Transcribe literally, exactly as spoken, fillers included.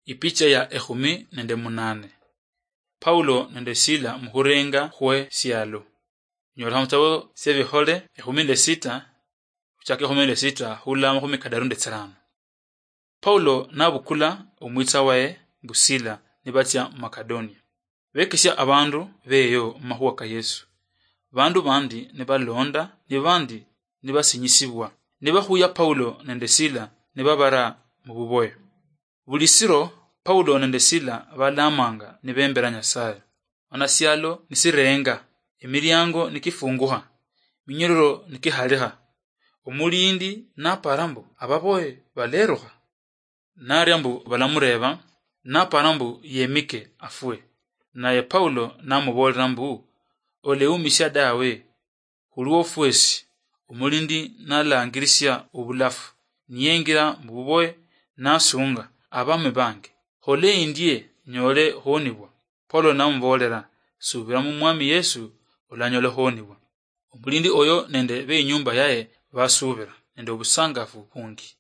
Ipicha ya ekhumi nende munane. Paulo nende Sila mukhurenga khwe sialo. Nyola mutabo sya Bikhole ekhumi nende sita, khuchaka ekhumi nende sita khula makhumi kadaru nende tsirano. Paulo nabukula omwitsa waye mbu Sila nibatsia mu Makedonia. Bekesya abandu beyo mu makhuwa ka Yesu. Bandu bandi nibalonda, ni bandi nibasinyisibwa. Nibakhuya Paulo nende Sila nibabara mu buboye. Buli siro Paulo nende Sila balamanga nibembera Nyasaye. Mana sialo nisirenga, emiliango nikifungukha, minyororo nikikhalikha. Omulindi napara mbu ababoye balerukha. Naria mbu balamureba, napara mbu yemike afwe. Naye Paulo namubolera mbu, "Oleumisha dawe, khulwo fwesi." Omulindi nalangirisia obulafu, niyengira mububoye, nasunga, "Abami bange, khole endie nyole khonibwa." Paulo namubolera, "Subira mu Mwami Yesu, olanyole khonibwa." Omulindi oyo nende beinyumba yaye basubira nende obusangafu bungi.